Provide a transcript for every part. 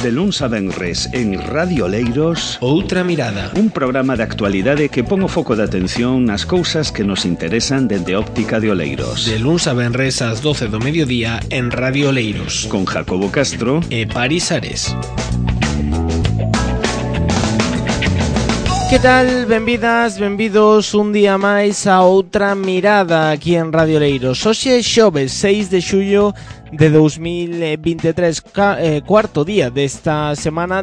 De luns a venres en Radio Oleiros, Outra Mirada, un programa de actualidade que pon o foco de atención nas cousas que nos interesan dende óptica de Oleiros. de luns a venres ás 12 do mediodía en Radio Oleiros, Con Jacobo Castro e Paris Ares. Que tal? Benvidas, benvidos un día máis a Outra Mirada aquí en Radio Oleiros. Hoxe é xoves 6 de xullo de 2023, cuarto día desta semana,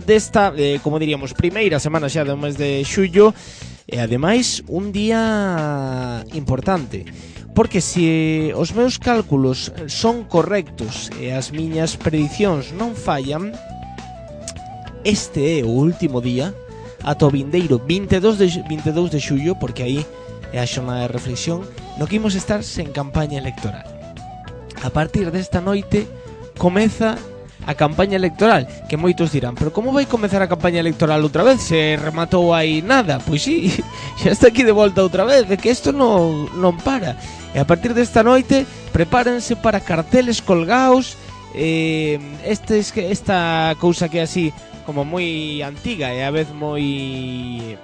como diríamos, primeira semana xa do mes de xullo, e ademais un día importante, porque se os meus cálculos son correctos e as miñas predicións non fallan, este é o último día ata o vindeiro 22 de xullo, porque aí é a xornada de reflexión, no que imos estar sen campaña electoral. A partir desta noite comeza a campaña electoral, que moitos dirán, pero como vai comezar a campaña electoral outra vez? Se rematou aí nada. Pois sí, xa está aquí de volta outra vez, de que isto non para. E a partir desta noite prepárense para carteles colgaos, esta cousa que é así como moi antiga e a vez moi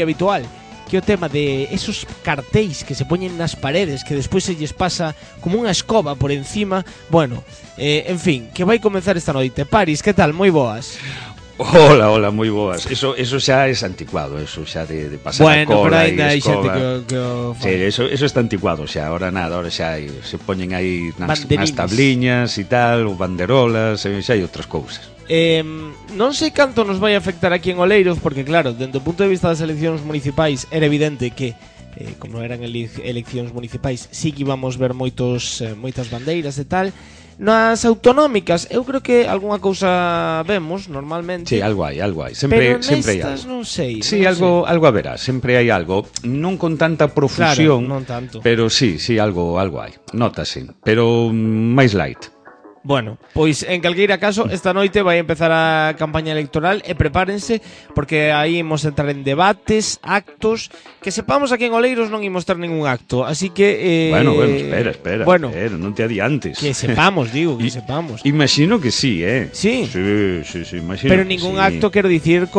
habitual, que o tema de esos cartéis que se poñen nas paredes, que despois se lles pasa como unha escoba por encima. Bueno, en fin, que vai comenzar esta noite. Paris, que tal? Moi boas. Hola, moi boas. Eso xa é anticuado, eso xa de pasar a cola. Bueno, pero ainda hai xente que o sí, eso está anticuado xa, ahora nada, ahora xa se poñen aí nas tabliñas e tal, ou banderolas, xa hai outras cousas. Non sei canto nos vai afectar aquí en Oleiros, porque claro, dentro do punto de vista das eleccións municipais era evidente que como eran eleccións municipais sí que íbamos ver moitas bandeiras e tal. Nas autonómicas eu creo que algunha cousa vemos normalmente. Sí, algo hai. Sempre hai algo. Non sei. Sí, algo haberá, sempre hai algo, non con tanta profusión, claro, non tanto. Pero sí, algo hai. Nótase, pero máis light. Bueno, pois en calqueira caso esta noite vai empezar a campaña electoral e prepárense, porque aí imos entrar en debates, actos, que sepamos aquí en Oleiros non imos ter ningún acto, así que Bueno, espera, non te adiantes. Que sepamos, que sepamos. Imagino que sí, Sí. Sí, imagino. Pero que ningún sí. acto, quero dicir,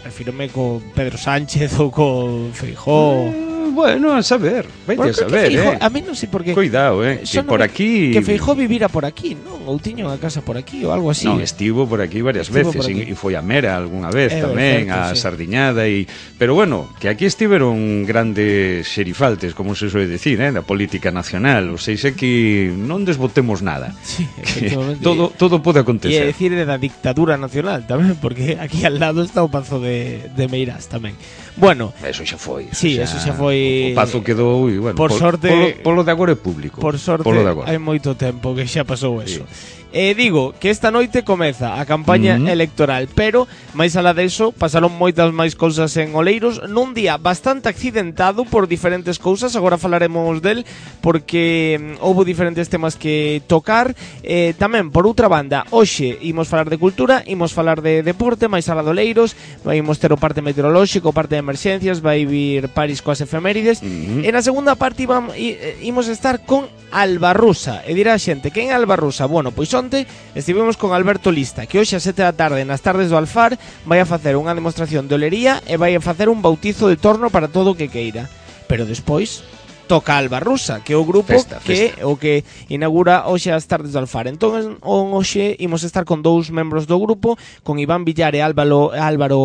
refírome con Pedro Sánchez ou con Feijóo. Bueno, a saber, a saber, Feijóo, a mí non sei por qué. Cuidado, que por aquí... Que Feijóo vivira por aquí, non? Ou tiña unha casa por aquí ou algo así. Non, estivo por aquí varias veces e foi a Mera algunha vez tamén, a Sardiñada pero bueno, que aquí estiveron grandes xerifaltes, como se suele decir, da política nacional, ou seja que non desbotemos nada. Sí, efectivamente. Todo pode acontecer. E decir da dictadura nacional tamén, porque aquí al lado está o Pazo de Meirás tamén. Bueno, eso xa foi. Sí, eso xa foi. O Pazo quedou, e bueno, por sorte, polo de agora é público. Por sorte, hai moito tempo que xa pasou eso. Sí. Digo que esta noite comeza a campaña electoral, pero máis alá deso pasaron moitas máis cousas en Oleiros nun día bastante accidentado por diferentes cousas. Agora falaremos del, porque houve diferentes temas que tocar. Tamén, por outra banda, hoxe imos falar de cultura, imos falar de deporte, máis alá de Oleiros, imos ter o parte meteorolóxico, o parte de emerxencias, vai vir Paris coas efemérides. E na segunda parte imos estar con Alba Rusa. E dirá a xente, quen é Alba Rusa? Bueno, pois onte estivemos con Alberto Lista, que hoxe a 7 da tarde nas tardes do Alfar vai a facer unha demostración de olería e vai a facer un bautizo de torno para todo o que queira. Pero despois toca Alba Rusa, que é o grupo que o que inaugura hoxe as tardes do Alfar. Entón, hoxe imos estar con dous membros do grupo, con Iván Villar e Álvaro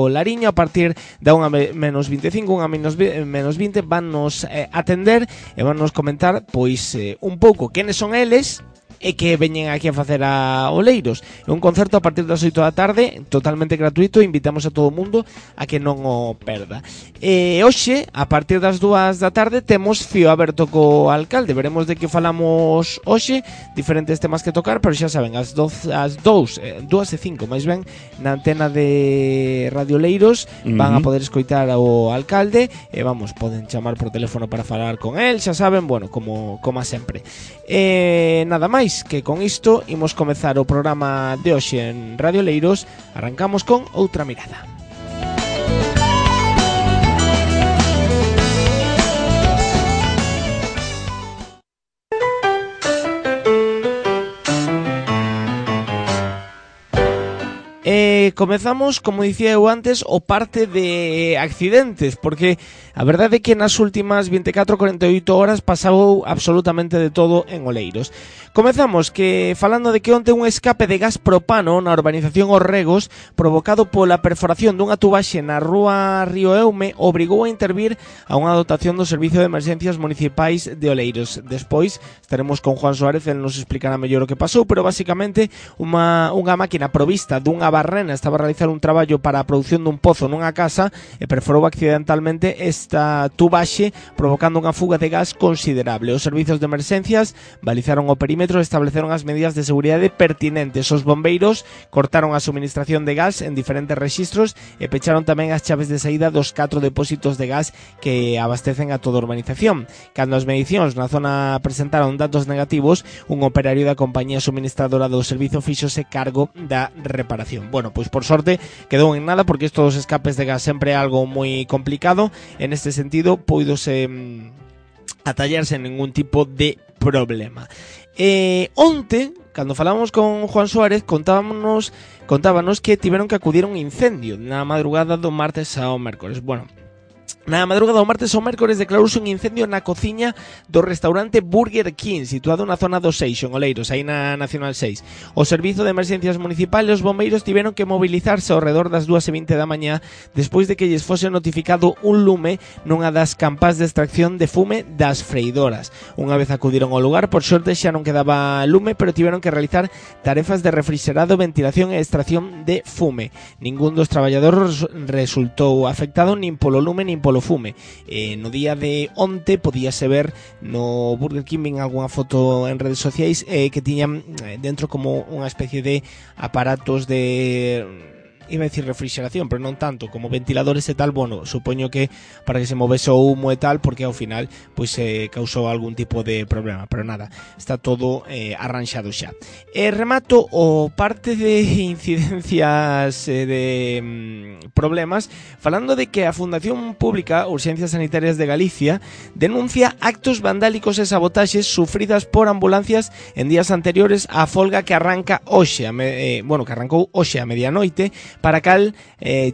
Lariño. A partir da 1:25, 1:20, vannos atender e vannos comentar pois un pouco quenes son eles e que veñen aquí a facer a Oleiros. É un concerto a partir das 8 da tarde, totalmente gratuito, invitamos a todo o mundo a que non o perda. E hoxe, a partir das 2 da tarde, temos fío aberto co alcalde. Veremos de que falamos hoxe, diferentes temas que tocar, pero xa saben, as 2:05, máis ben, na antena de Radio Oleiros van a poder escoitar ao alcalde e poden chamar por teléfono para falar con el, xa saben, bueno, como a sempre. Nada máis, que con isto imos comezar o programa de hoxe en Radio Oleiros. Arrancamos con Outra Mirada. Comezamos, como dicía eu antes, o parte de accidentes, porque a verdade é que nas últimas 24-48 horas pasou absolutamente de todo en Oleiros. Comezamos falando de que onte un escape de gas propano na urbanización Os Regos, provocado pola perforación dunha tubaxe na rúa Río Eume, obrigou a intervir a unha dotación do Servicio de Emergencias Municipais de Oleiros. Despois estaremos con Juan Suárez, el nos explicará mellor o que pasou, pero basicamente unha máquina provista dunha barrena estaba a realizar un traballo para a produción dun pozo nunha casa e perforou accidentalmente esta tubaxe, provocando unha fuga de gas considerable. Os servizos de emerxencias balizaron o perímetro e estableceron as medidas de seguridade pertinentes. Os bombeiros cortaron a suministración de gas en diferentes rexistros e pecharon tamén as chaves de saída dos 4 depósitos de gas que abastecen a toda a urbanización. Cando as medicións na zona presentaron datos negativos, un operario da compañía suministradora do servizo fíxose cargo da reparación. Bueno, pois por sorte quedou en nada, porque isto dos escapes de gas sempre é algo moi complicado. En este sentido, poidose atallarse en ningún tipo de problema. Onte, cando falábamos con Juan Suárez, contábanos que tiveron que acudir a un incendio na madrugada do martes ao mércores. Bueno, na madrugada do martes ao mércores declarouse un incendio na cociña do restaurante Burger King, situado na zona do Seixo, en Oleiros, aí na Nacional 6. O Servizo de Emerxencias Municipais e os bombeiros tiveron que mobilizarse ao redor das 2:20 da mañá despois de que lles fose notificado un lume nunha das campás de extracción de fume das freidoras. Unha vez acudiron ao lugar, por sorte xa non quedaba lume, pero tiveron que realizar tarefas de refrigerado, ventilación e extracción de fume. Ningún dos traballadores resultou afectado nin polo lume nin polo fume. No día de onte podíase ver no Burger King algunha foto en redes sociais que tiñan dentro como unha especie de aparatos de, iba a decir refrigeración, pero non tanto, como ventiladores e tal. Bueno, supoño que para que se movese o humo e tal, porque ao final pois causou algún tipo de problema, pero nada, está todo arranxado xa. Remato o parte de incidencias de problemas falando de que a Fundación Pública Urxencias Sanitarias de Galicia denuncia actos vandálicos e sabotaxes sufridas por ambulancias en días anteriores á folga que arranca hoxe, que arrancou hoxe a medianoite, para cal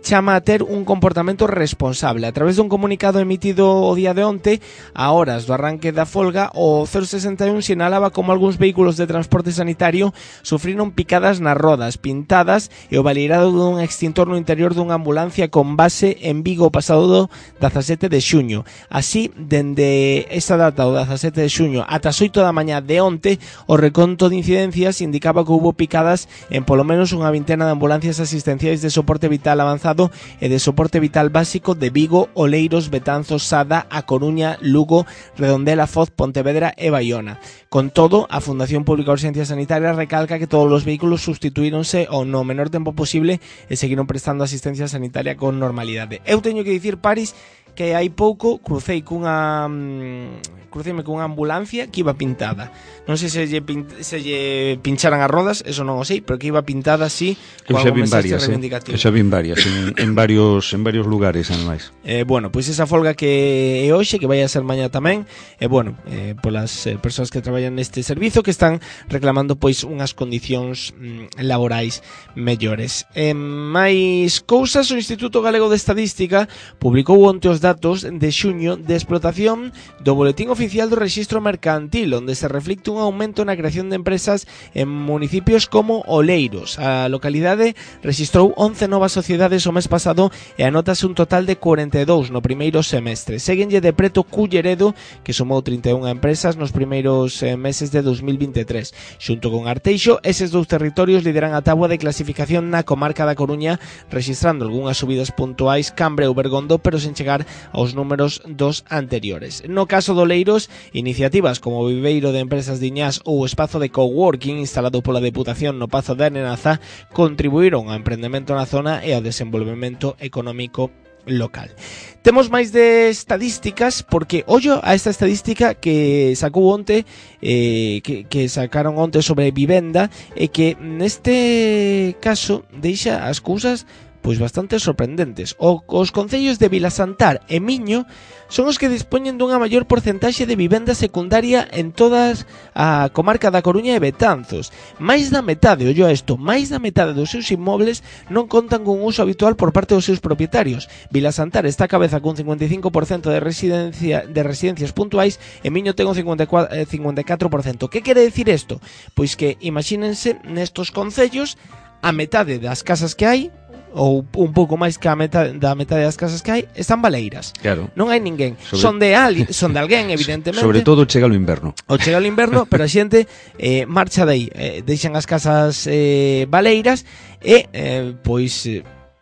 chama a ter un comportamento responsable. A través dun comunicado emitido o día de onte, a horas do arranque da folga, o 061 sinalaba como algúns vehículos de transporte sanitario sufriron picadas nas rodas, pintadas e o baleirado dun extintor no interior dunha ambulancia con base en Vigo o pasado 17 de xuño. Así, dende esa data, o 17 de xuño, ata as 8 da mañá de onte, o reconto de incidencias indicaba que houbo picadas en polo menos unha vintena de ambulancias asistenciais de soporte vital avanzado e de soporte vital básico de Vigo, Oleiros, Betanzos, Sada, A Coruña, Lugo, Redondela, Foz, Pontevedra e Baiona. Con todo, a Fundación Pública de Urxencias Sanitarias recalca que todos os vehículos sustituíronse ao no menor tempo posible e seguiron prestando asistencia sanitaria con normalidade. Eu teño que dicir, Paris, que hai pouco cruceime cunha ambulancia que iba pintada. Non sei se lle pincharan as rodas, eso non o sei, pero que iba pintada así, coa algún mensaxe reivindicativo. Xa vin varias en varios lugares, ademais. Bueno, pois esa folga que é hoxe, que vai a ser mañá tamén, polas persoas que traballan neste servizo, que están reclamando pois unhas condicións laborais mellores. Máis cousas, o Instituto Galego de Estadística publicou onte os datos de xuño de explotación do Boletín Oficial do Rexistro Mercantil, onde se reflicte un aumento na creación de empresas en municipios como Oleiros. A localidade rexistrou 11 novas sociedades o mes pasado e anótase un total de 42 no primeiro semestre. Séguenlle de preto Culleredo, que sumou 31 empresas nos primeiros meses de 2023. Xunto con Arteixo, eses dous territorios lideran a táboa de clasificación na comarca da Coruña, rexistrando algunhas subidas puntuais Cambre ou Bergondo, pero sen chegar aos números dos anteriores. No caso do Oleiros, iniciativas como o Viveiro de Empresas Diñás ou o espazo de coworking instalado pola Deputación no Pazo de Anenaza contribuíron ao emprendemento na zona e ao desenvolvemento económico local. Temos máis de estadísticas, porque ollo a esta estadística que sacou onte, que sacaron onte sobre vivenda, e que neste caso deixa as cousas pois bastante sorprendentes. Os concellos de Vilasantar e Miño son os que dispoñen dunha maior porcentaxe de vivenda secundaria en todas a comarca da Coruña e Betanzos. Mais da metade, ollo a isto, máis da metade dos seus inmobles non contan con uso habitual por parte dos seus propietarios. Vilasantar está a cabeza cun 55% de residencias puntuais e Miño ten un 54%. Que quere dicir isto? Pois que imagínense nestos concellos a metade das casas que hai, ou un pouco máis que da metade das casas que hai, están baleiras. Claro. Non hai ninguén. Son de alguén, evidentemente. Sobre todo chega o inverno. Chega o inverno, pero a xente marcha de aí, deixan as casas baleiras e pois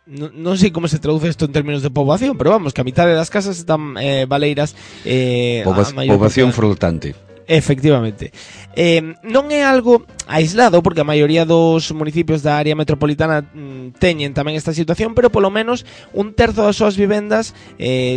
non sei como se traduce isto en términos de poboación, pero vamos, que a mitade das casas están baleiras. Poboación flotante. Efectivamente. Non é algo aislado, porque a maioría dos municipios da área metropolitana teñen tamén esta situación, pero polo menos un terzo das súas vivendas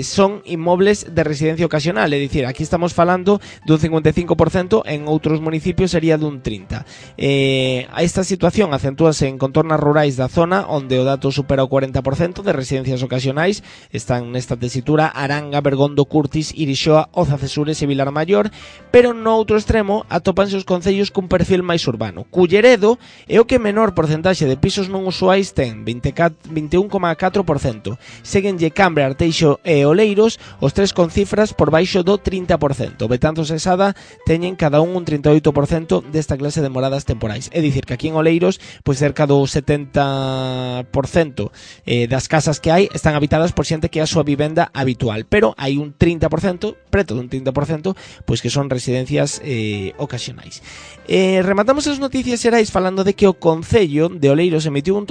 son inmobles de residencia ocasional, é dicir, aquí estamos falando dun 55%, en outros municipios sería dun 30%. Esta situación acentúase en contornas rurais da zona, onde o dato supera o 40% de residencias ocasionais. Están nesta tesitura Aranga, Bergondo, Curtis, Irixoa, Oza, Cesures e Vilar Maior, pero no outro extremo atopanse os concellos cun perfil máis urbano. Culleredo é o que menor porcentaxe de pisos non usuais ten, 21,4%. Séguenlle Cambre, Arteixo e Oleiros, os tres con cifras por baixo do 30%. Betanzos e Sada teñen cada un 38% desta clase de moradas temporais. É dicir, que aquí en Oleiros, pois cerca do 70% das casas que hai están habitadas por xente que é a súa vivenda habitual, pero hai un 30%, preto dun 30%, pois que son residencias ocasionais. Rematamos as noticias xerais falando de que o Concello de Oleiros emitiu un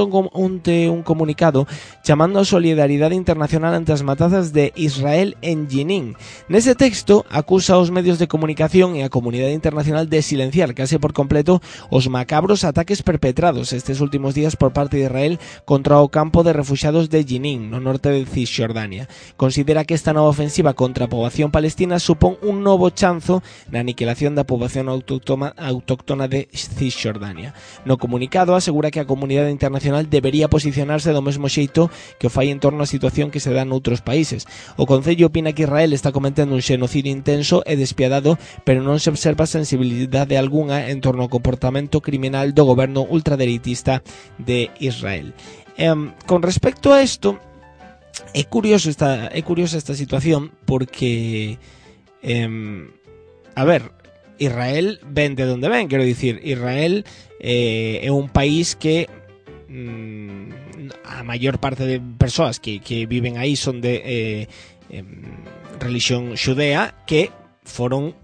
comunicado chamando a solidaridade internacional ante as matazas de Israel en Jenin. Nese texto acusa aos medios de comunicación e a comunidade internacional de silenciar case por completo os macabros ataques perpetrados estes últimos días por parte de Israel contra o campo de refuxiados de Jenin, no norte de Cisxordania. Considera que esta nova ofensiva contra a poboación palestina supón un novo chanzo na aniquilación da poboación autóctona de Cisxordania. No comunicado asegura que a comunidade internacional debería posicionarse do mesmo xeito que o fai en torno á situación que se dá noutros países. O Concello opina que Israel está cometendo un xenocidio intenso e despiadado, pero non se observa sensibilidade algunha en torno ao comportamento criminal do goberno ultradereitista de Israel. Con respecto a isto, é curiosa esta situación porque a ver, Israel ven de onde ven, quero dicir, Israel é un país que a maior parte de persoas que viven aí son de religión xudea, que foron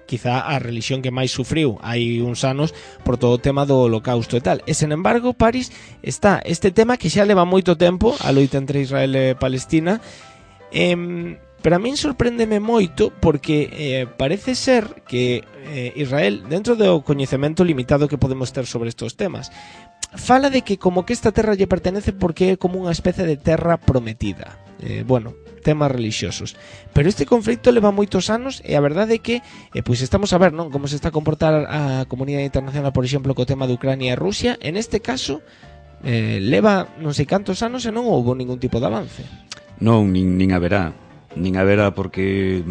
quizá a religión que máis sufriu hai uns anos por todo o tema do holocausto e tal. E, sen embargo, París está este tema que xa leva moito tempo, a loita entre Israel e Palestina, pero a min sorpréndeme moito porque parece ser que Israel, dentro do coñecemento limitado que podemos ter sobre estos temas, fala de que como que esta terra lle pertenece porque é como unha especie de terra prometida. Bueno, temas religiosos. Pero este conflito leva moitos anos e a verdade é que pois estamos a ver, non, como se está a comportar a comunidade internacional, por exemplo, co tema de Ucrania e Rusia. En este caso leva non sei cantos anos e non houve ningún tipo de avance. Non, nin haberá porque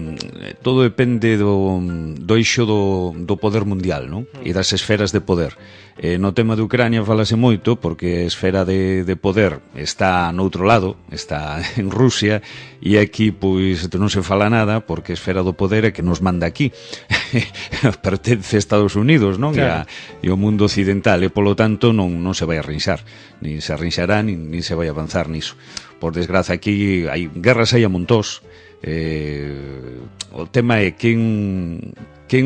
todo depende do eixo do poder mundial, non? E das esferas de poder. No tema de Ucrania falase moito porque a esfera de poder está noutro lado, está en Rusia, e aquí pois non se fala nada porque a esfera do poder é que nos manda aquí. Pertence a Estados Unidos, non? Claro. E o mundo occidental, e polo tanto non se vai a arrinxar, nin se arrinxará, nin se vai a avanzar niso. Por desgraza, aquí hai guerras aí a montós. O tema é quen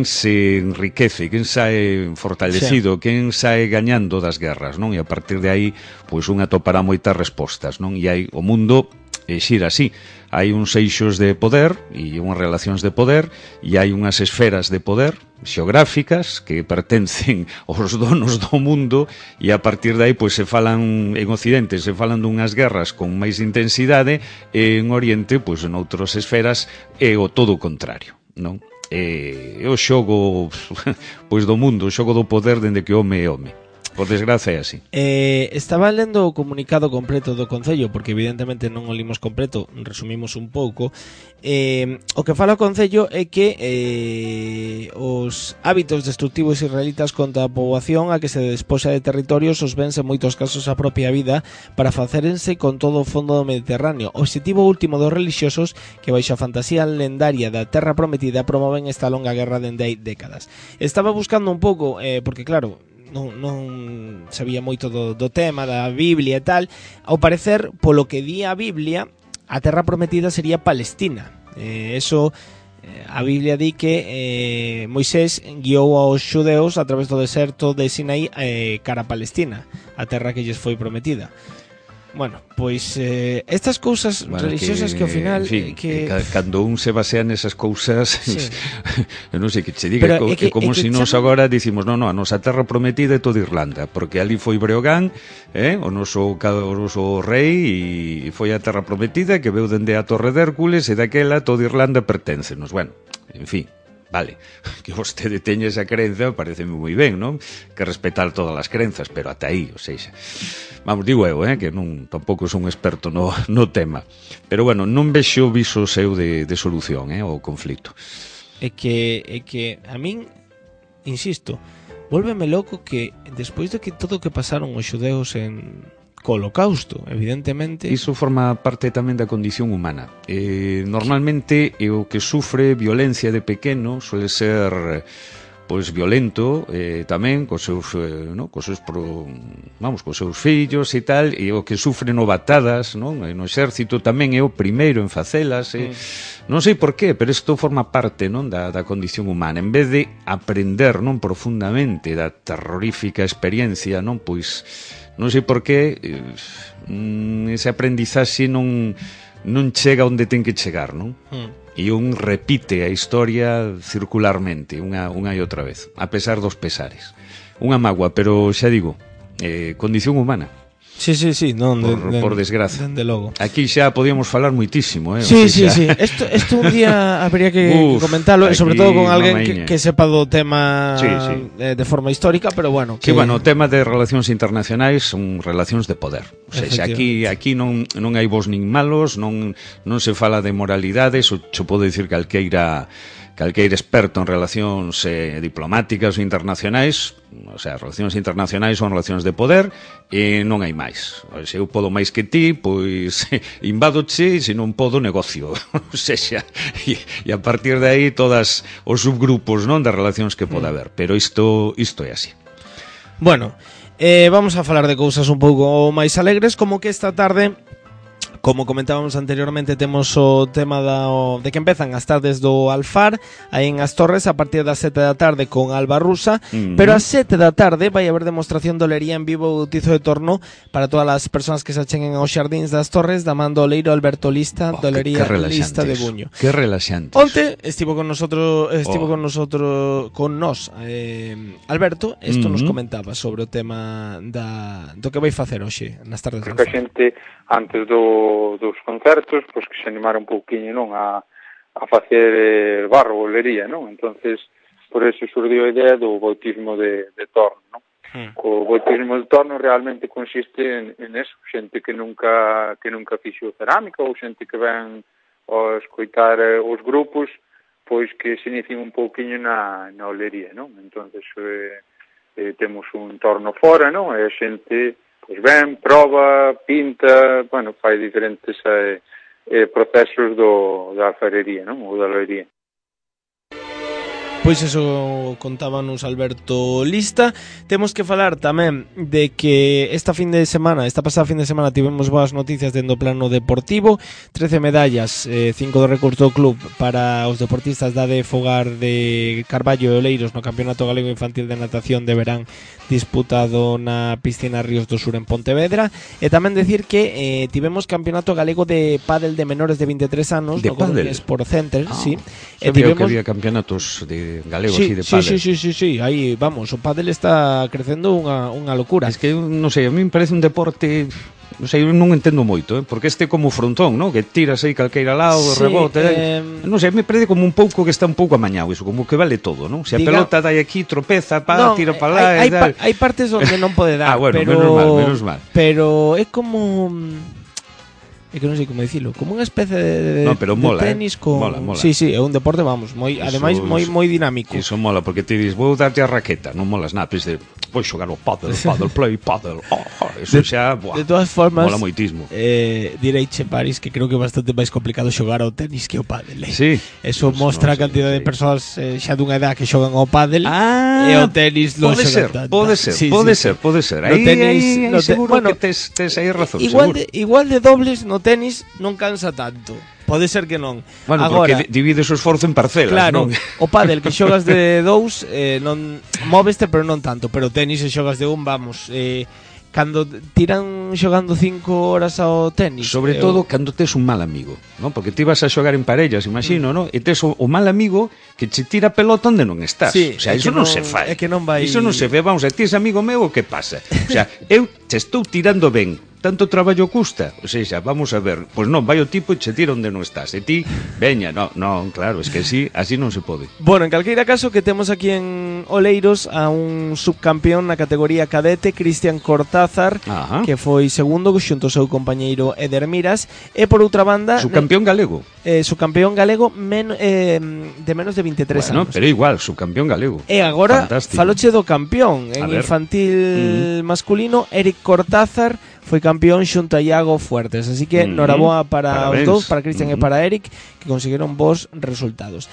se enriquece, quen sae fortalecido, sí, quen sae gañando das guerras, non? E a partir de aí, pois unha topará moitas respostas, non? E hai o mundo xira así. Hai uns eixos de poder e unhas relacións de poder e hai unhas esferas de poder xeográficas que pertencen aos donos do mundo e a partir de aí pois se falan en Occidente, se falan dunhas guerras con máis intensidade e en Oriente, pois en outras esferas é o todo o contrario, non? É o xogo pois do mundo, o xogo do poder dende que home é home. Por desgracia é así. Estaba lendo o comunicado completo do Concello, porque evidentemente non o limos completo, resumimos un pouco. O que fala o Concello é que os hábitos destructivos israelitas contra a poboación a que se despoxa de territorios os vens en moitos casos a propia vida para facerense con todo o fondo do Mediterráneo. O obxectivo último dos relixiosos que baixo a fantasía lendaria da Terra Prometida promoven esta longa guerra dende hai décadas. Estaba buscando un pouco, porque claro, non sabía moito do tema da Biblia e tal. Ao parecer, polo que di a Biblia, a Terra Prometida sería Palestina. A Biblia di que Moisés guiou aos xudeus a través do deserto de Sinaí cara a Palestina, a terra que lles foi prometida. Bueno, pois estas cousas religiosas que ao final cando un se basea nesas cousas, sí. Non sei que che diga, é como se nos agora dicimos, non, a nosa terra prometida é toda Irlanda, porque ali foi Breogán, o noso rei, e foi a terra prometida que veu dende a Torre de Hércules, e daquela toda Irlanda perténcenos. Bueno, en fin, vale, que vostede teña esa crenza pareceme moi ben, non? Que respetar todas as crenzas, pero ata aí, ou seja, vamos, digo eu, que non tampouco son un experto no tema, pero bueno, non vexo viso seu de solución ao conflito. É que a min, insisto, vólveme loco que despois de que todo o que pasaron os xudeus co Holocausto, evidentemente. Iso forma parte tamén da condición humana. Normalmente o que sufre violencia de pequeno suele ser violento tamén cos seus fillos e tal, e o que sufre novatadas, non? No exército tamén é o primeiro en facelas, non sei por qué, pero isto forma parte, non, da condición humana. En vez de aprender, non, profundamente da terrorífica experiencia, non, pois non sei por qué ese aprendizaxe non chega onde ten que chegar, non? E un repite a historia circularmente unha e outra vez, a pesar dos pesares. Unha mágoa, pero xa digo, condición humana. Sí, non, por desgracia. Dende logo. Aquí xa podíamos falar muitísimo, Sí. Isto un día habría que comentarlo, sobre todo con alguén que sepa do tema de forma histórica, pero bueno. Sí, bueno, o tema de relacións internacionais son relacións de poder. O sea, aquí non hai bons nin malos, non se fala de moralidades, o podo dicir calqueira experto en relacións diplomáticas ou internacionais, o sea, relacións internacionais son relacións de poder e non hai máis. Se eu podo máis que ti, pois invádoche, e se non podo, negocio. O sea, e a partir de aí todas os subgrupos, non, das relacións que pode haber, pero isto é así. Bueno, vamos a falar de cousas un pouco máis alegres, como que esta tarde, como comentábamos anteriormente, temos o tema de que empezan as tardes do Alfar aí en As Torres a partir das 7 da tarde con Alba Rusa, pero ás 7 da tarde vai haber demostración de olería en vivo bautizo de torno para todas as persoas que se acheguen aos xardíns das Torres da man do oleiro Alberto Lista, de olería Lista de Buño. Que relaxante. Onte estivo con nós Alberto, isto nos comentaba sobre o tema do que vai facer hoxe nas tardes do Alfar. Porque a xente antes dos concertos, pois que se animara un pouquiño, non, a facer barro, olería, non? Entonces, por eso surdiu a idea do bautismo de torno, non? O bautismo de torno realmente consiste en eso, xente que nunca fixo cerámica ou xente que ven a escoitar os grupos, pois que se inicien un pouquiño na olería, non? Entonces, temos un torno fora, non? E a xente pois ven, proba, pinta, bueno, fai diferentes procesos da alfarería, non? Ou da olería. Pois eso contábanos Alberto Lista. Temos que falar tamén de que esta pasada fin de semana tivemos boas noticias dentro do plano deportivo, 13 medallas, 5 do recurso do club para os deportistas da de Fogar de Carballo e Oleiros no Campeonato Galego Infantil de Natación de Verán disputado na piscina Ríos do Sur en Pontevedra, e tamén decir que tivemos Campeonato Galego de Pádel de menores de 23 anos no Coruña Sport Center, sí. E tivemos que había campeonatos de galego así de pádel. Sí, aí vamos, o pádel está crecendo unha locura. Es que non sei, a mí me parece un deporte non sei, non entendo moito, porque este como frontón, non? Que tiras aí calqueira lado, sí, rebote, non sei, me parece como un pouco que está un pouco amañado iso, como que vale todo, non? Se a pelota dai aquí, tropeza, tira para lá, hai partes onde non pode dar, bueno, pero menos mal. Pero é como é que non sei como dicilo, como unha especie de tenis con... Mola. Sí, é un deporte, vamos, ademais moi dinámico. Iso mola, porque te dis, vou darte a raqueta, non molas nada, pois vou xogar o paddle, eso xa, de todas formas, mola moitismo. Direiche, Paris, que creo que é bastante máis complicado xogar ao tenis que ao pádel. Sí. Eso mostra a cantidad de persoas xa dunha edad que xogan ao pádel e ao tenis non xogan tanto. Pode ser. Aí seguro que tes aí razón, igual de dobles no tenis non cansa tanto. Pode ser que non. Bueno, agora, porque divides o esforzo en parcelas, claro, non? O pádel que xogas de dous non móveste, pero non tanto. Pero o tenis se xogas de un, vamos, cando tiran xogando 5 horas ao tenis, sobre todo cando tes un mal amigo, non? Porque ti vas a xogar en parellas, imagino, non? E tes o mal amigo que che tira pelota onde non estás. Sí, o sea, iso non se fai. É que non vai. Iso non se ve, vamos, ti es amigo meu, o que pasa? O sea, eu te estou tirando ben, tanto traballo custa, o sea, vamos a ver, pois non, vai o tipo e che tira onde non estás, e ti, veña, non, claro, es que así non se pode. Bueno, en calqueira caso que temos aquí en Oleiros a un subcampeón na categoría cadete, Cristian Cortázar, que foi segundo xunto ao seu compañeiro Eder Miras, e por outra banda... Subcampeón galego. Subcampeón galego de menos de 23 anos. Pero igual, subcampeón galego. E agora, faloche do campeón en infantil masculino, Eric Cortázar foi campeón xunto a Iago Fuertes, así que noraboa para os dous, para Cristian e para Eric, que conseguiron bons resultados.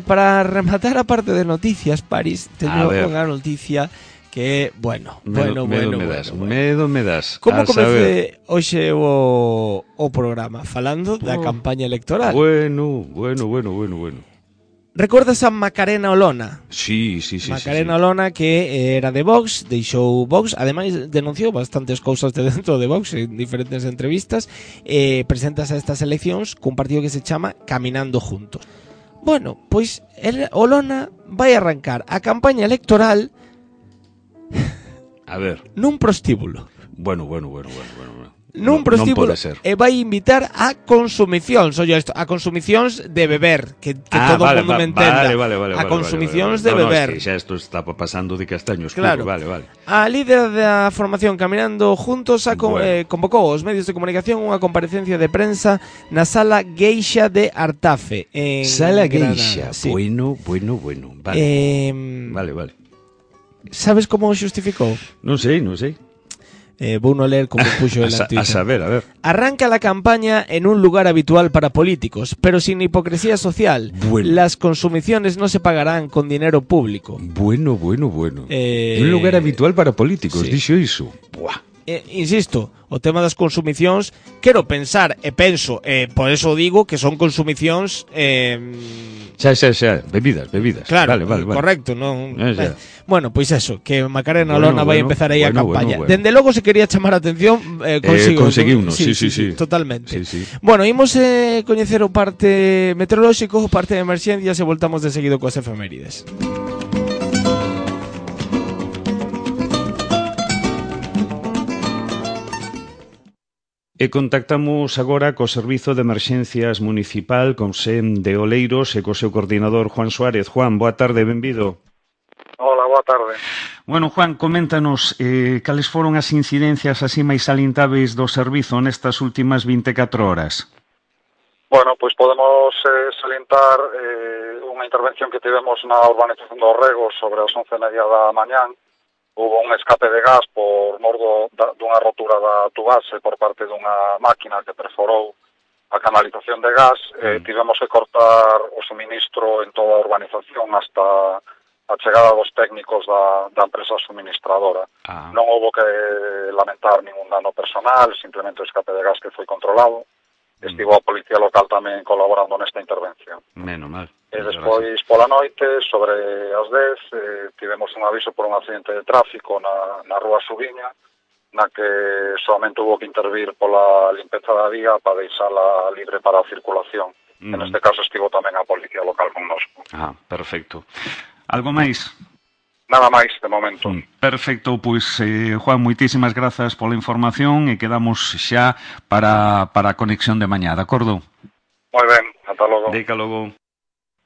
Para rematar a parte de noticias, Paris, teño unha noticia que, medo me das. Como comece hoxe o programa falando da campaña electoral? Bueno. Recordas a Macarena Olona? Sí. Macarena Olona, que era de Vox, deixou Vox, ademais denunciou bastantes cousas de dentro de Vox en diferentes entrevistas, presentas a estas eleccións cun partido que se chama Caminando Juntos. Bueno, pois Olona vai arrancar a campaña electoral a ver, nun prostíbulo. Bueno. Nun prostíbulo e vai invitar a consumicións, a consumicións de beber, que todo o mundo me entenda. A consumicións de beber. No, xa isto está pasando de castaño escuro, claro. Vale. A líder da formación Caminando Juntos convocou aos medios de comunicación unha comparecencia de prensa na Sala Gueixa de Artafe, en Sala Gueixa, sí. Bueno. Vale. Sabes como o xustificou? Non sei. Vou no ler como puxo el a saber. Arranca la campaña en un lugar habitual para políticos, pero sin hipocresía social. Bueno. Las consumiciones no se pagarán con dinero público. Bueno. Un lugar habitual para políticos, sí. Dixo iso. Buah. Insisto, o tema das consumicións, quero pensar e penso, por eso digo que son consumicións xa, bebidas. Claro, vale. Correcto, non. Bueno, pois eso, que Macarena Olona vai empezar aí a campaña. Dende logo se quería chamar a atención, conseguiunos, sí. Totalmente. Sí. Bueno, imos coñecer o parte meteorolóxico, o parte de emerxencias e voltamos de seguido coas efemérides. E contactamos agora co Servizo de Emerxencias Municipal con SEM de Oleiros e co seu coordinador Juan Suárez. Juan, boa tarde, benvido. Hola, boa tarde. Bueno, Juan, coméntanos cales foron as incidencias así máis salientáveis do servizo nestas últimas 24 horas. Bueno, pois podemos salientar unha intervención que tivemos na urbanización do Rego sobre as 11:30 da mañán. Hubo un escape de gas por mor dunha rotura da tubase por parte dunha máquina que perforou a canalización de gas. Tivemos que cortar o suministro en toda a urbanización hasta a chegada dos técnicos da empresa suministradora. Non houbo que lamentar ningún dano personal, simplemente o escape de gas que foi controlado. Estivo a policía local tamén colaborando nesta intervención. Menos mal. E despois, pola noite, sobre as 10, tivemos un aviso por un accidente de tráfico na rúa Subiña, na que solamente hubo que intervir pola limpeza da vía para deixala libre para a circulación. En este caso estivo tamén a policía local connosco. Perfecto. Algo máis? Nada máis de momento. Perfecto, pois Juan, moitísimas grazas pola información e quedamos xa para a conexión de mañá, de acordo? Moi ben, ata logo. Deca logo.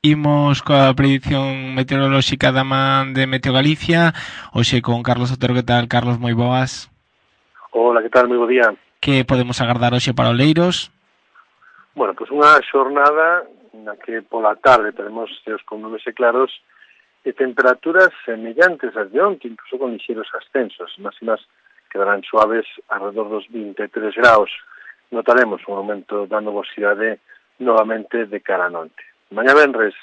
Imos coa predición meteorolóxica da man de Meteo Galicia, hoxe con Carlos Otero. Que tal, Carlos? Moi boas. Hola, que tal? Moi bo día. Que podemos agardar hoxe para Oleiros? Bueno, pois unha xornada na que pola tarde teremos ceos con nubes e claros e temperaturas semellantes ás de onte, incluso con lixeros ascensos. Máximas quedarán suaves alrededor dos 23 graus. Notaremos un aumento da nubosidade novamente de cara a noite. Mañá venres,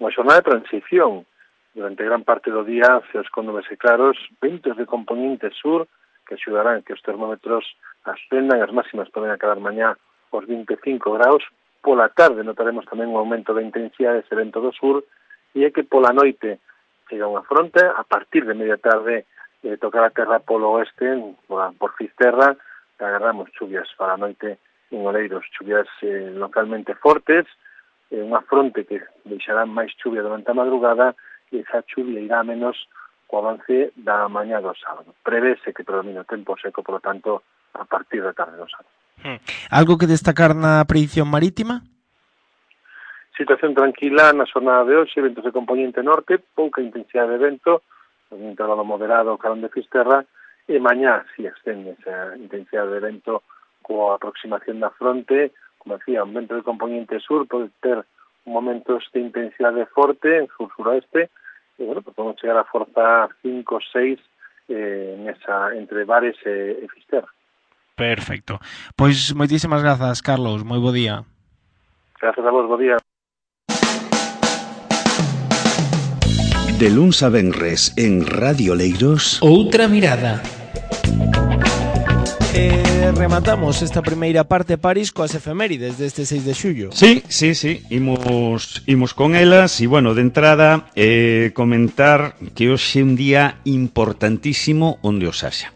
unha xornada de transición. Durante gran parte do día, ceos con nubes e claros, ventos de componente sur que axudarán que os termómetros ascendan. As máximas poden acabar mañá os 25 graus. Pola tarde notaremos tamén un aumento da intensidade dese vento do sur e é que pola noite chega unha fronte, a partir de media tarde tocar a terra polo oeste, por Fisterra, agarramos chuvias para a noite en Oleiros, chuvias localmente fortes, unha fronte que deixará máis chuvia durante a madrugada e esa chuvia irá menos co avance da mañá do sábado. Prevese que predomina o tempo seco, por lo tanto, a partir da tarde do sábado. Algo que destacar na predición marítima? Situación tranquila na xornada de hoxe, ventos de componente norte, pouca intensidade de vento, un intervalo moderado carón de Fisterra, e mañá si ascende esa intensidade de vento coa aproximación da fronte, como decía, un vento de componente sur, pode ter momentos de intensidade forte en sur-suroeste, e bueno, podemos chegar a forza 5 ou 6 entre Bares e Fisterra. Perfecto. Pois moitísimas grazas, Carlos, moi bo día. Gracias a vos, bo día. De luns a venres en Radio Oleiros. Outra mirada. Rematamos esta primeira parte París coas efemérides deste 6 de xullo. Sí, imos con elas e, bueno, de entrada comentar que hoxe é un día importantísimo onde os haxa.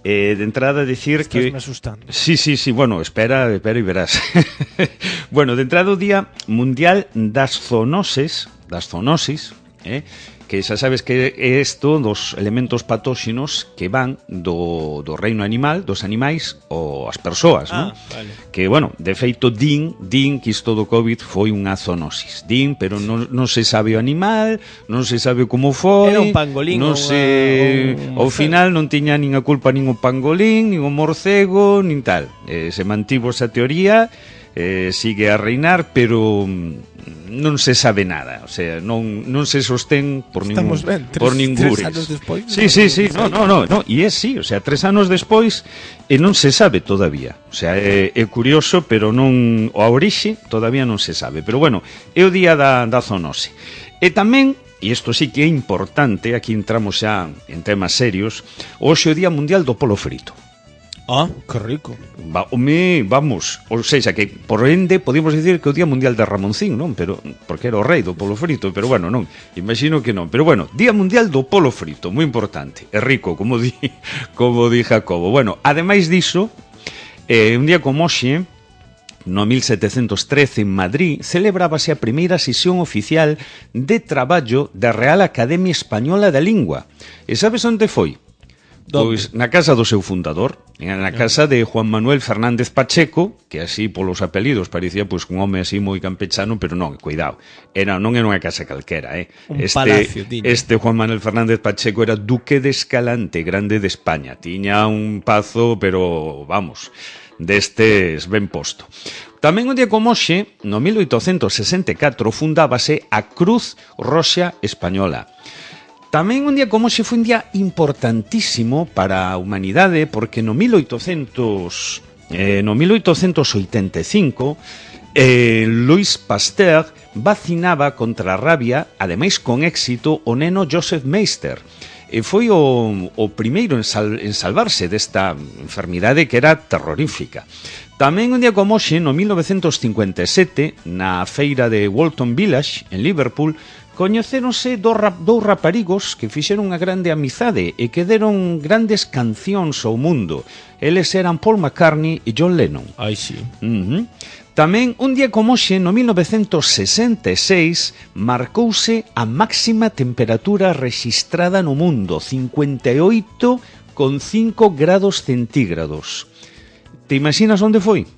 De entrada decir Estás que... me asustando. Sí, bueno, espera e verás. Bueno, de entrada o Día Mundial das Zoonosis, que xa sabes que é isto dos elementos patóxenos que van do reino animal, dos animais ou as persoas, non? Vale. Que, bueno, de feito din que isto do COVID foi unha zoonosis. Pero non se sabe o animal, non se sabe como foi. Era un pangolín non se... Ao final non tiña nin a culpa nin o pangolín, nin o morcego, nin tal. Se mantivo esa teoría, sigue a reinar, pero non se sabe nada, o sea, non se sostén por ningún tres anos despois. Sí, no, e é sí, o sea, 3 anos despois e non se sabe todavía. O sea, é curioso, pero non a orixe todavía non se sabe. Pero bueno, é o día da zoonose. E tamén, e isto sí que é importante, aquí entramos xa en temas serios, hoxe é o Día Mundial do Polo Frito. Ah, que rico. Vamos, ou seja, que por ende podemos dicir que o Día Mundial de Ramoncín, non? Pero porque era o rei do polo frito, pero bueno, non, imagino que non. Pero bueno, Día Mundial do Polo Frito, moi importante. É rico, como di Jacobo. Bueno, ademais diso, un día como hoxe, no 1713 en Madrid, celebrábase a primeira sesión oficial de traballo da Real Academia Española da Lingua. E sabes onde foi? Pois na casa do seu fundador, na casa de Juan Manuel Fernández Pacheco, que así polos apelidos parecía pois un home así moi campechano, pero non, cuidado, non era unha casa calquera, un palacio, este Juan Manuel Fernández Pacheco era duque de Escalante, grande de España, tiña un pazo, pero vamos, destes ben posto. Tamén un día como hoxe, no 1864, fundábase a Cruz Roxa Española. Tamén un día como hoxe foi un día importantísimo para a humanidade, porque no 1885 Louis Pasteur vacinaba contra a rabia, ademais con éxito, o neno Joseph Meister. E foi o primeiro en salvarse desta enfermidade que era terrorífica. Tamén un día como hoxe, no 1957, na feira de Walton Village, en Liverpool, coñecéronse dous raparigos que fixeron unha grande amizade e que deron grandes cancións ao mundo. Eles eran Paul McCartney e John Lennon. Ai, sí. Tamén, un día como hoxe, no 1966, marcouse a máxima temperatura rexistrada no mundo, 58,5 grados centígrados. Te imaginas onde foi?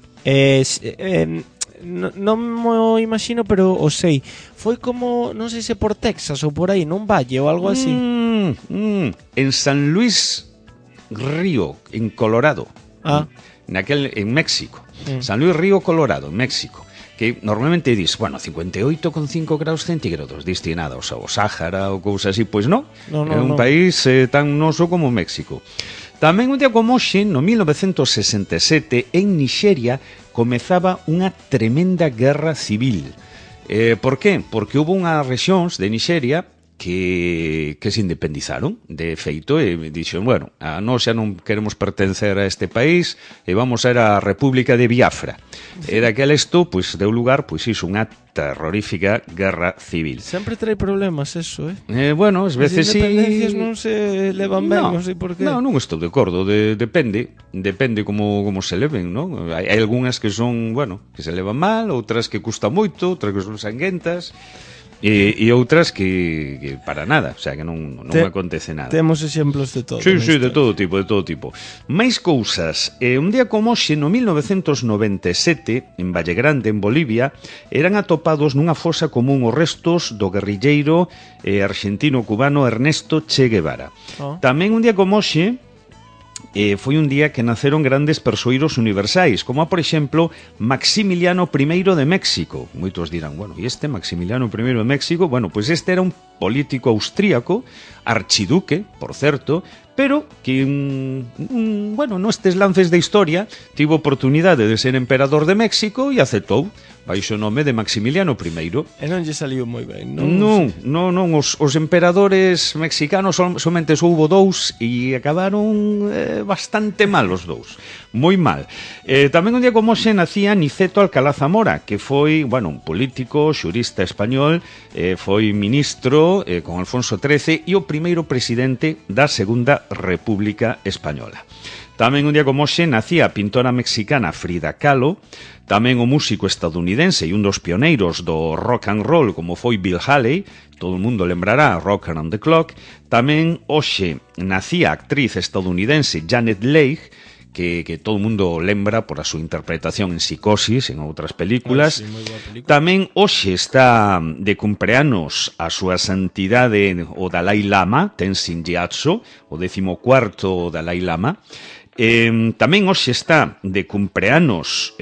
Non mo imagino, pero o sei. Foi como, non sei se por Texas ou por aí, nun valle ou algo así. En San Luis Río, en Colorado. En México. San Luis Río, Colorado, en México. Que normalmente dis, 58,5 graus centígrados destinados ao Sáhara ou cousa así. Pois non, é un país tan noso como México. Tamén un día como hoxe, no 1967, en Nixeria, comezaba unha tremenda guerra civil. Por qué? Porque houve unhas rexións de Nixeria que se independizaron, de feito, e dixeron, a nós xa non queremos pertencer a este país e vamos a ir á República de Biafra. E daquela isto, deu lugar, iso, unha terrorífica guerra civil. Sempre trae problemas eso, As veces sí... As independencias non se levan ben, non sei por qué. Non estou de acordo, depende como se leven, non? Hai algunhas que son, que se levan mal, outras que custa moito, outras que son sanguentas... E outras que para nada, o sea, que non acontece nada. Temos exemplos de todo. Sí, de todo tipo. Máis cousas. Un día como hoxe, no 1997, en Valle Grande, en Bolivia, eran atopados nunha fosa común os restos do guerrilleiro argentino-cubano Ernesto Che Guevara. Tamén un día como hoxe, foi un día que naceron grandes persoeiros universais, como por exemplo Maximiliano I de México. Moitos dirán, e este Maximiliano I de México? Pois este era un político austríaco, archiduque, por certo, pero que, nestes lances de historia, tivo oportunidade de ser emperador de México e aceptou baixo o nome de Maximiliano I. E non lle saliu moi ben, non? Non, os emperadores mexicanos somente houbo dous e acabaron bastante mal os dous, moi mal. Tamén un día como hoxe nacía Niceto Alcalá Zamora, que foi, un político, xurista español, foi ministro con Alfonso XIII e o primeiro presidente da Segunda República Española. Tamén un día como hoxe nacía a pintora mexicana Frida Kahlo, tamén o músico estadounidense e un dos pioneiros do rock and roll como foi Bill Haley, todo o mundo lembrará Rock Around the Clock. Tamén hoxe nacía a actriz estadounidense Janet Leigh, que todo o mundo lembra por a súa interpretación en Psicosis, en outras películas. Tamén hoxe está de cumpleanos a súa santidade o Dalai Lama, Tenzin Gyatso, o 14º Dalai Lama. Tamén hoxe está de cumpleanos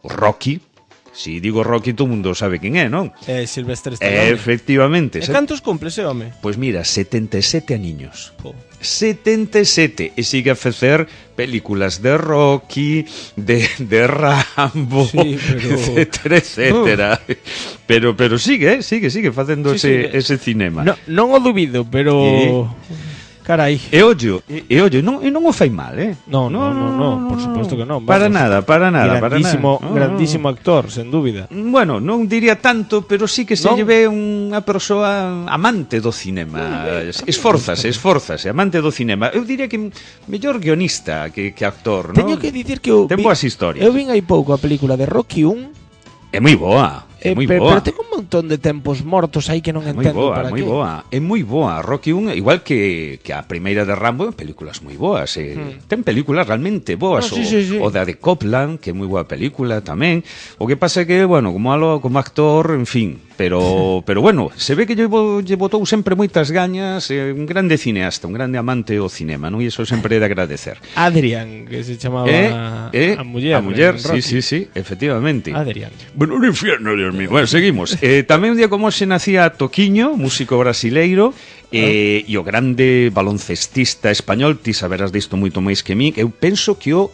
Rocky. Si digo Rocky, todo o mundo sabe quen é, non? Silvestre Stallone. Efectivamente. E cantos cumple ese home? Pois mira, 77 aniños. 77, e sigue a facer películas de Rocky, de Rambo, etcétera. Pero sigue facendo ese cinema. Non o dubido, pero... Carai. E ollo, non o fai mal, Non, por suposto que non. Para nada. Grandísimo actor, sen dúbida. Non diría tanto, pero sí que se lle ve unha persoa amante do cinema. Esfórzase, amante do cinema. Eu diría que mellor guionista que actor, non? Teño que dicir que eu ten boas historias. Eu vin hai pouco a película de Rocky 1. É moi boa. Pero ten un montón de tempos mortos aí que non entendo para que. É moi boa. Rocky 1, igual que a primeira de Rambo, en películas moi boas. Ten películas realmente boas. O da de Copland, que é moi boa película tamén. O que pasa é que, como actor, en fin. Pero se ve que lle botou sempre moitas gañas, un grande cineasta, un grande amante ao cinema, non? E iso sempre é de agradecer. Adrián, que se chamaba a muller. A muller, sí, efectivamente. Adrián. Un infierno, Dios mío. Seguimos. Tamén un día como hoxe nacía Toquiño, músico brasileiro, e o grande baloncestista español, ti saberás disto moito máis que min. Eu penso que o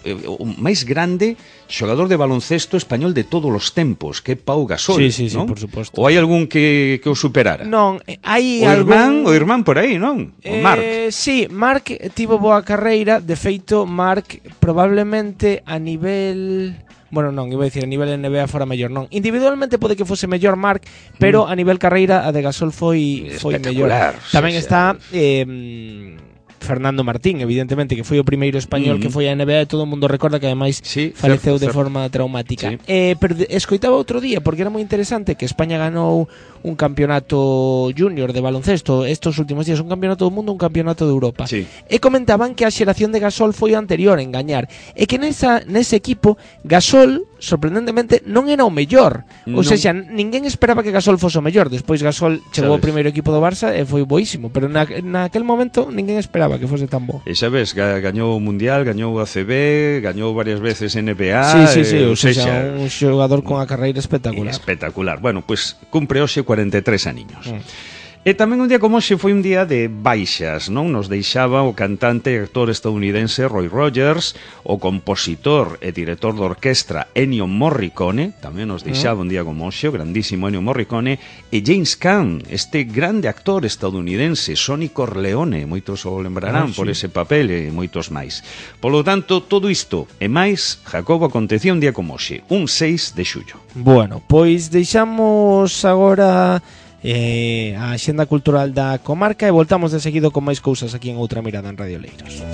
máis grande xogador de baloncesto español de todos os tempos, que é Pau Gasol, sí, non? Por suposto. Ou hai algún que o superara? Non, hai o irmán por aí, non? O Marc. Sí, Marc tivo boa carreira, de feito Marc probablemente a nivel Bueno, non, iba a dicir a nivel NBA fora mellor, non. Individualmente pode que fose mellor Marc, pero a nivel carreira a de Gasol foi mellor. Tamén está Fernando Martín, evidentemente, que foi o primeiro español que foi a NBA, e todo o mundo recorda que ademais faleceu de forma traumática. Pero escoitaba outro día, porque era moi interesante, que España ganou un campeonato junior de baloncesto estos últimos días, un campeonato do mundo, un campeonato de Europa. E comentaban que a xeración de Gasol foi o anterior en gañar, e que nese equipo Gasol, sorprendentemente, non era o mellor. Ou seja, ninguén esperaba que Gasol fose o mellor. Despois Gasol chegou ao primeiro equipo do Barça e foi boísimo, pero naquel momento ninguén esperaba que fose tan bo. E xa ves, gañou o Mundial, gañou o ACB, gañou varias veces NBA. Sí, ou seja, un xogador con a carreira espectacular. Espectacular. Bueno, pois cumpre hoxe 43 aniños. E tamén un día como hoxe foi un día de baixas, non? Nos deixaba o cantante e actor estadounidense Roy Rogers, o compositor e director de orquestra Ennio Morricone, tamén nos deixaba un día como hoxe, o grandísimo Ennio Morricone, e James Caan, este grande actor estadounidense, Sonny Corleone, moitos o lembrarán por ese papel e moitos máis. Polo tanto, todo isto e máis, Jacobo, acontecía un día como hoxe, un 6 de xullo. Bueno, pois deixamos agora a axenda cultural da comarca e voltamos de seguido con máis cousas aquí en Outra Mirada en Radio Oleiros.